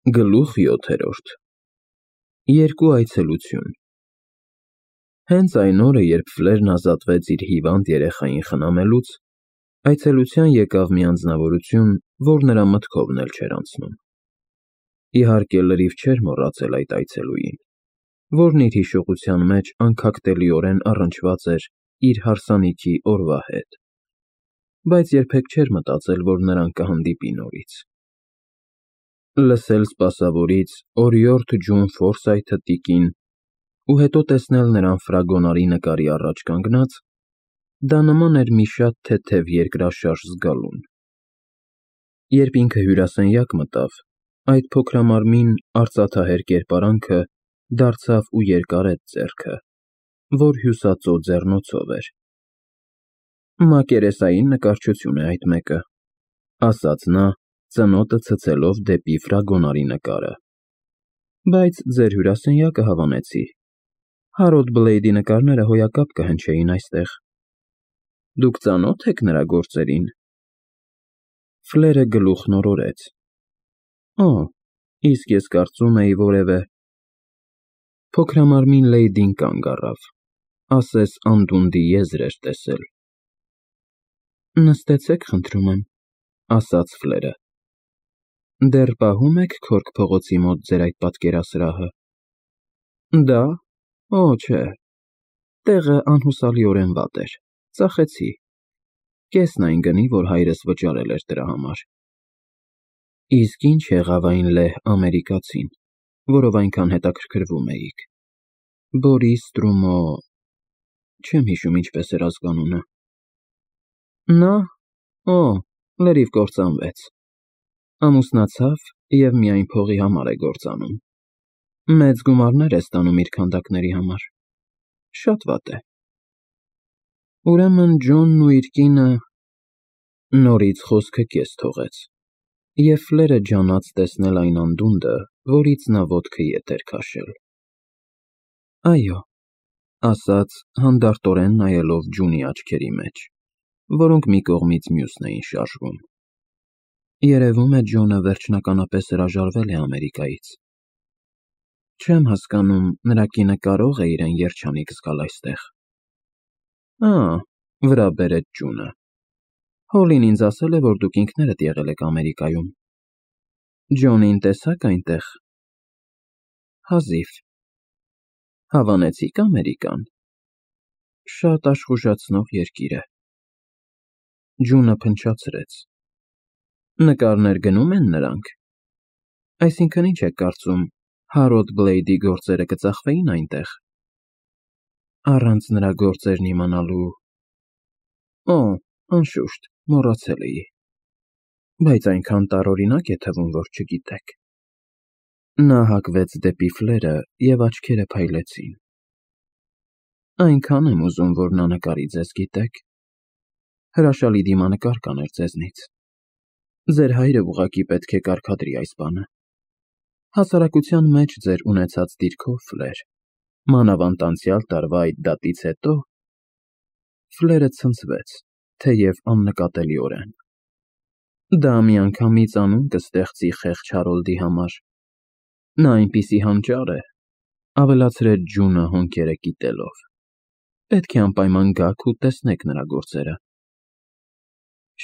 Գլուխ 7. Երկու այցելություն։ Հենց այն օրը, երբ Ֆլերն ազատվեց իր հիվանդ երեխային խնամելուց, այցելության եկավ մի անձնավորություն, որ նրա մտքովն էլ չէր անցնում։ Իհարկե, լրիվ չէր մոռացել այդ այցելուին, որն իր հիշողության մեջ անքակտելիորեն առնչված էր իր հարսանիքի օրվա հետ, բայց երբեք չէր մտածել, որ նրան կհանդիպի նորից։ Լսել սպասավորից օրիորդ Ջոն Ֆորսայթը տիկին ու հետո տեսնել նրան ֆրագոնարի նկարի առաջ կանգնած, դա նման էր մի շատ թեթև երկրաշարժ զգալուն։ Երբ ինքը հյուրասենյակ մտավ, այդ փոքրամարմին արծաթահեր կերպարանքը դարձավ ու երկարեց ձեռքը, որ հյուսածո ձեռնոցով էր։ Մակերեսային նկարչություն է այդ մեկը, ասաց նա, ծնոտը ցցելով դեպի ֆրագոնարի նկարը։ Բայց ձեր հյուրասենյակը հավանեցի։ Հարոլդ Բլեյդի նկարները հոյակապ կհնչեին այստեղ։ Դուք ծանո՞թ եք նրա գործերին։ Ֆլերը գլուխն օրորեց։ Օ, իսկ ես կարծում էի որևէ… Փոքրամարմին Լեյդին կանգ առավ, ասես անդունդի եզր էր տեսել։ Նստեցեք, խնդրում եմ, ասաց Ֆլերը։ Դեռ պահում եք Քորք փողոցի մոտ ձեր այդ պատկերասրահը։ Դա… Օ, չէ, տեղը անհուսալիորեն վատ էր, ծախեցի։ Կեսն այն գնի, որ հայրս վճարել էր դրա համար։ Իսկ ինչ եղավ այն լեհ ամերիկացին, որով այնքան հետաքրքրվում էիք։ Բորիս Տրումո… Չեմ հիշում ինչպես էր ազգանունը։ Նա… Օ, լրիվ կործանվեց։ Ամուսնացավ և միայն փողի համար է գործանում։ Մեծ գումարներ է ստանում իր քանդակների համար։ Շատ վատ է։ Ուրեմն Ջոնն ու իր կինը… Նորից խոսքը կես թողեց, և Ֆլերը ջանաց տեսնել այն անդունդը, որից նա ոտքը ետ էր քաշել։ Այո, ասաց, հանդարտորեն նայելով Ջունի աչքերի մեջ, որոնք մի կողմից մյուսն էին շարժվում։ Երևում է Ջոնը վերջնականապես հրաժարվել է Ամերիկայից։ Չեմ հասկանում, նրա կինը կարո՞ղ է իրեն երջանիկ զգալ այստեղ։ Ա, վրա բերեց Ջունը։ Հոլին ինձ ասել է, որ դուք ինքներդ եղել եք Ամերիկայում։ Ջոնին տեսա՞ք այնտեղ։ Հազիվ։ Հավանեցի՞ք Ամերիկան։ Շատ աշխուժացնող երկիր է։ Ջունը փնչացրեց։ Նկարներ գնում են նրանք։ Այսինքն ինչ եք կարծում, Հարոլդ Բլեյդի գործերը կծախվեին այնտեղ։ Առանց նրա գործերն իմանալու… Օ, անշուշտ, մոռացել էի։ Բայց այնքան տարօրինակ է թվում, որ չգիտեք։ Նա հակվեց դեպի Ֆլերը, և աչքերը փայլեցին։ Այնքան եմ ուզում, որ նա նկարի ձեզ, գիտեք։ Հրաշալի դիմանկար կաներ ձեզնից։ Ձեր հայրը ուղղակի պետք է կարգադրի այս բանը։ Հասարակության մեջ ձեր ունեցած դիրքով, Ֆլեր, մանավանդ անցյալ տարվա այդ դատից հետո… Ֆլերը ցնցվեց, թեև աննկատելիորեն։ Դա միանգամից անուն կստեղծի խեղճ Հարոլդի համար։ Նա այնպիսի հանճար է, ավելացրեց Ջունը հոնքերը կիտելով։ Պետք է անպայման գաք ու տեսնեք նրա գործերը։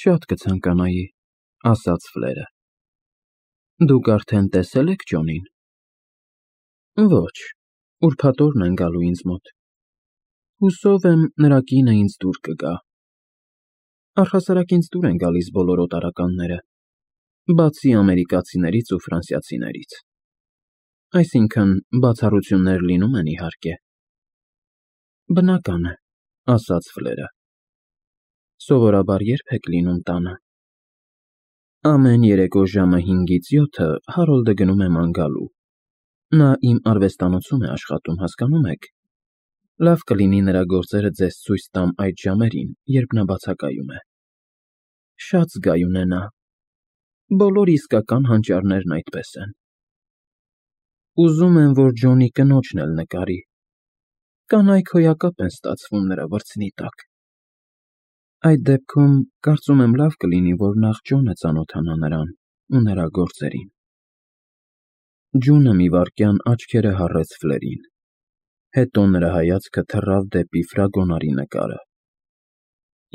Շատ կցանկանայի, ասաց Ֆլերը։ Դուք արդեն տեսել եք Ջոնին։ Ոչ, ուրբաթ օրն են գալու ինձ մոտ։ Հուսով եմ, նրա կինը ինձ դուր կգա։ Առհասարակ ինձ դուր են գալիս բոլոր օտարականները, բացի ամերիկացիներից ու ֆրանսիացիներից։ Այսինքն, բացառություններ լինում են, իհարկե։ Բնական է, ասաց Ֆլերը։ Սովորաբար ե՞րբ եք լինում տանը։ Ամեն երեկո ժամը 5-ից 7 Հարոլդը գնում է ման գալու։ Նա իմ արվեստանոցում է աշխատում, հասկանում եք։ Լավ կլինի նրա գործերը ձեզ ցույց տամ այդ ժամերին, երբ նա բացակայում է։ Շատ զգայուն է նա։ Բոլոր իսկական հանճարներն այդպես են։ Ուզում եմ, որ Ջոնի կնոջն էլ նկարի։ Կանայք հոյակապ են ստացվում նրա վրձնի տակ։ Այդ դեպքում, կարծում եմ, լավ կլինի, որ նախ Ջոնը ծանոթանա նրան ու նրա գործերին։ Ջունը մի վայրկյան աչքերը հառեց Ֆլերին, հետո նրա հայացքը թռավ դեպի ֆրագոնարի նկարը։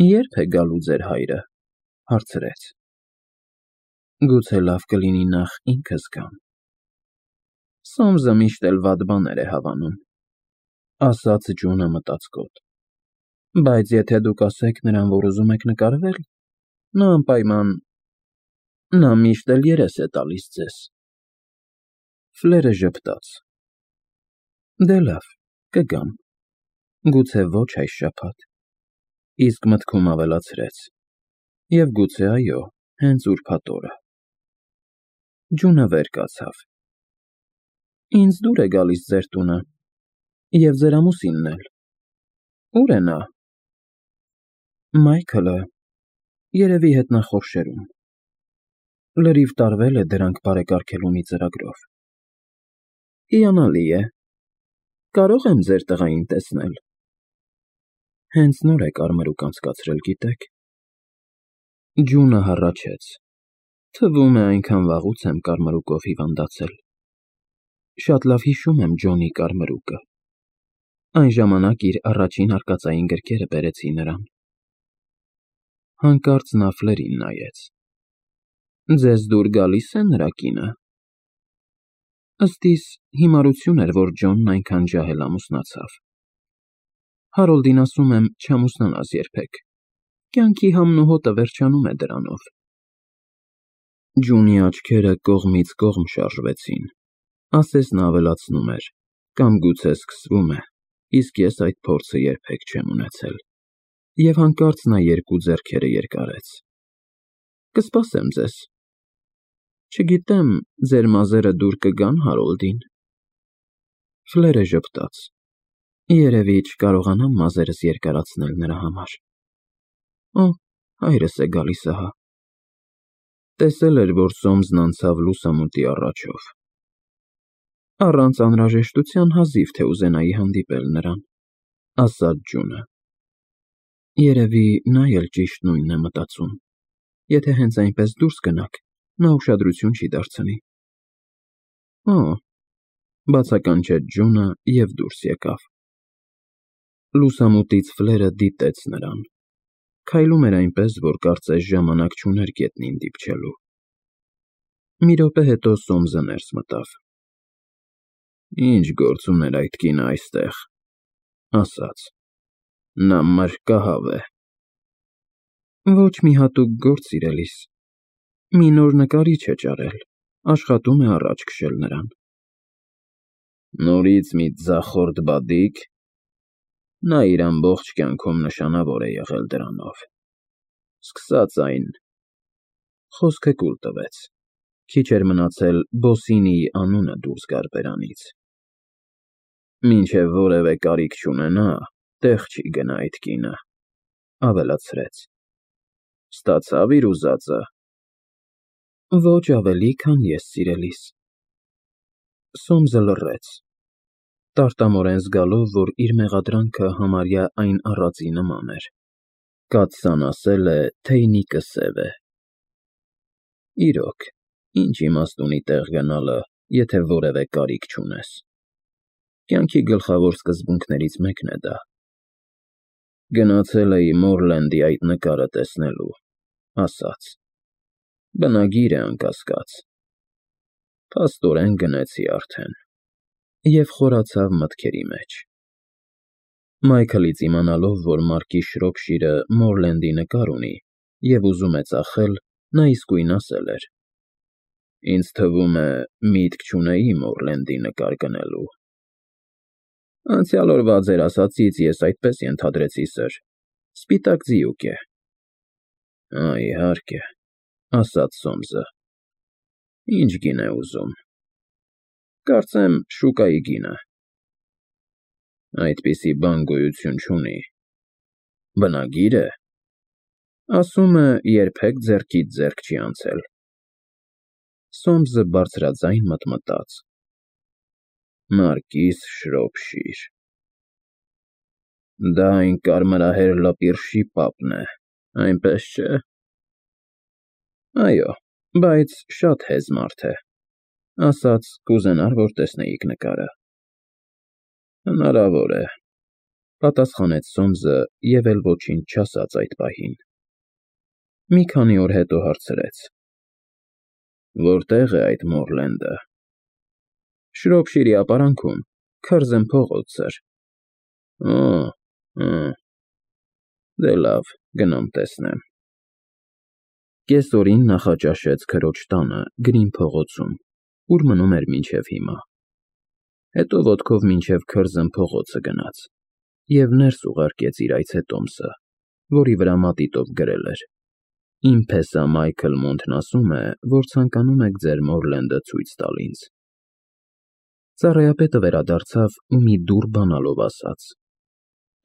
Ե՞րբ է գալու ձեր հայրը, հարցրեց։ Գուցե լավ կլինի նախ ինքս գամ։ Սոմսը միշտ էլ վատ բաներ է հավանում, ասաց Ջունը մտածկոտ։ Բայց եթե դուք ասեք նրան, որ ուզում եք նկարվել, նա անպայման, նա միշտ էլ երես է տալիս ձեզ։ Ֆլերը ժպտաց։ Դե լավ, կգամ, գուցե ոչ այս շաբաթ, իսկ մտքում ավելացրեց. և գուցե այո, հենց ուրբաթ օրը։ Ջունը վեր կացավ։ Ինձ դուր է գալիս ձեր տունը, և ձեր ամուսինն էլ։ Ո՞ւր է նա։ Մայքլը, երևի հետնախորշերում։ Լրիվ տարվել է դրանք բարեկարգելու մի ծրագրով։ Հիանալի է։ Կարո՞ղ եմ ձեր տղային տեսնել։ Հենց նոր է կարմրուկ անցկացրել, գիտեք։ Ջունը հառաչեց։ Թվում է այնքան վաղուց եմ կարմրուկով հիվանդացել։ Շատ լավ հիշում եմ Ջոնի կարմրուկը։ Այն ժամանակ իր առաջին արկածային գրքերը բերեցի նրան։ Հանկարծ նա Ֆլերին նայեց։ Ձեզ դուր գալիս է նրա կինը։ Ըստ իս հիմարություն էր, որ Ջոնն այնքան ջահել ամուսնացավ։ Հարոլդին ասում եմ, չամուսնանաս երբեք։ Կյանքի համն ու հոտը վերջանում է դրանով։ Ջունի աչքերը կողմից կողմ շարժվեցին, ասես նա ավելացնում էր, կամ գուցե սկսվում է, իսկ ես այդ փորձը երբեք չեմ ունեցել։ Եվ հանկարծ նա երկու ձեռքերը երկարեց։ Կսպասեմ ձեզ։ Չգիտեմ, ձեր մազերը դուր կգան Հարոլդին։ Ֆլերը ժպտաց։ Երևի չկարողանամ մազերս երկարացնել նրա համար։ Օ, հայրս է գալիս ահա։ Տեսել էր, որ Սոմսն անցավ լուսամուտի առաջով։ Առանց անհրաժեշտության հազիվ թե ուզենայի հանդիպել նրան, ասաց Ջունը։ Երևի նա էլ ճիշտ նույնն է մտածում։ Եթե հենց այնպես դուրս գնաք, նա ուշադրություն չի դարձնի։ Օ, բացականչեց Ջունը և դուրս եկավ։ Լուսամուտից Ֆլերը դիտեց նրան։ Քայլում էր այնպես, որ կարծես ժամանակ չուներ գետնին դիպչելու։ Մի րոպե հետո Սոմսը ներս մտավ։ Ինչ գործ ուներ այդ կինը այստեղ, ասաց։ Նա մրրկահավ է։ Ոչ մի հատուկ գործ, սիրելիս։ Մի նոր նկարիչ է ճարել, աշխատում է առաջ քշել նրան։ Նորից մի ձախորդ բադիկ։ Նա իր ամբողջ կյանքում նշանավոր է եղել դրանով։ Սկսած այն… Խոսքը կուլ տվեց։ Քիչ էր մնացել Բոսինիի անունը դուրս գար բերանից։ Մինչև որևէ կարիք չունենա, տեղ չի գնա այդ կինը, ավելացրեց։ Ստացավ իր ուզածը։ Ոչ ավելի, քան ես, սիրելիս։ Սոմսը լռեց, տարտամորեն զգալով, որ իր մեղադրանքը համարյա այն առածի նման էր։ Կաթսան ասել է, թեյնիկը սև է։ Իրոք, ինչ իմաստ ունի տեղ գնալը, եթե որևէ կարիք չունես։ Կյանքի գլխավոր սկզբունքներից մեկն է դա։ Գնացել էի Մորլենդի այդ նկարը տեսնելու, ասաց։ Բնագիր է անկասկած։ Փաստորեն գնեցի արդեն։ Եվ խորացավ մտքերի մեջ։ Մայքլից իմանալով, որ Մարկի Շրոփշիրը Մորլենդի նկար ունի և ուզում է ծախել, նա իսկույն ասել էր. Ինձ թվում է, միտք չունեի Մորլենդի նկար գնելու։ Անցյալ օրվա ձեր ասածից ես այդպես ենթադրեցի, սըր, սպիտակ ձիուկ է։ Իհարկե, ասաց Սոմսը։ Ինչ գին է ուզում։ Կարծեմ շուկայի գինը։ Այդպիսի բան գոյություն չունի։ Բնագիր է։ Ասում է, երբեք ձեռքից ձեռք չի անցել։ Սոմսը բարձրաձայն մտմտաց։ Մարկիս Շրոփշիր։ Դա այն կարմրահեր լպիրշի պապն է, այնպես չէ։ Այո, բայց շատ հեզ մարդ է։ Ասաց կուզենար, որ տեսնեիք նկարը։ Հնարավոր է, պատասխանեց Սոմսը և էլ ոչինչ չասաց այդ պահին։ Մի քանի օր հետո հարցրեց. Որտե՞ղ է այդ Մորլենդը։ Շրոփշիրի ապարանքում, Քըրզեն փողոց, սըր։ Դե լավ, գնամ տեսնեմ։ Կեսօրին նախաճաշեց քրոջ տանը, Գրին փողոցում, ուր մնում էր մինչև հիմա։ Հետո ոտքով մինչև Քըրզեն փողոցը գնաց և ներս ուղարկեց իր այցետոմսը, որի վրա մատիտով գրել էր. Իմ փեսա Մայքլ Մոնթն ասում է, որ ցանկանում եք ձեր Մորլենդը ցույց տալ ինձ։ Ծառայապետը վերադարձավ ու մի դուռ բանալով ասաց.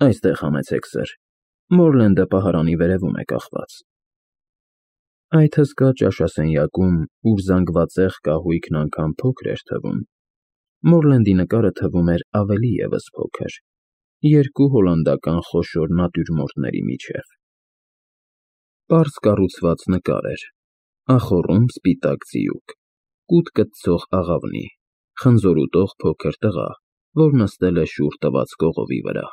Այստեղ համեցեք, սըր, Մորլենդը պահարանի վերևում է կախված։ Այդ հսկա ճաշասենյակում, ուր զանգվածեղ կահույքն անգամ փոքր էր թվում, Մորլենդի նկարը թվում էր ավելի ևս փոքր, երկու հոլանդական խոշոր նատյուրմորտների միջև։ Պարզ կառուցված նկար էր, ախոռում սպիտակ ձիուկ, կուտ կտցող աղավնի, խնձոր ուտող փոքր տղա, որ նստել է շուռ տված կողովի վրա։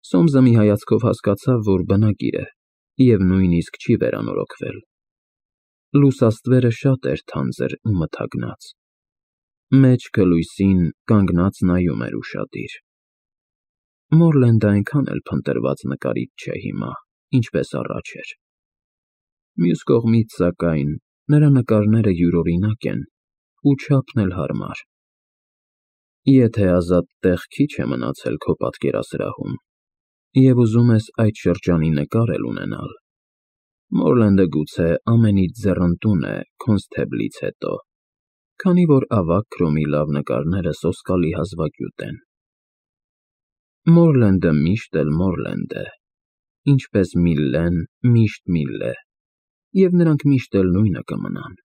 Սոմսը մի հայացքով հասկացավ, որ բնակիր է և նույնիսկ չի վերանորոգվել։ Լուսաստվերը շատ էր թանձր ու մթագնած։ Մեջքը լույսին կանգնած նայում էր ուշադիր։ Մորլենդը այնքան էլ փնտրված նկարիչ չէ հիմա, ինչպես առաջ էր։ Մյուս կողմից, սակայն, նրա նկարները յուրօրինակ են ու չափն էլ հարմար։ Եթե ազատ տեղ քիչ է մնացել քո պատկերասրահում և ուզում ես այդ շրջանի նկար էլ ունենալ, Մորլենդը գուցե ամենից ձեռնտուն է Քոնսթեբլից հետո, քանի որ ավագ քրոմի լավ նկարները սոսկալի հազվագյուտ են։ Մորլենդը միշտ էլ Մորլենդ է, ինչպես Միլլեն միշտ Միլլե, և նրանք միշտ էլ նույնը կմնան։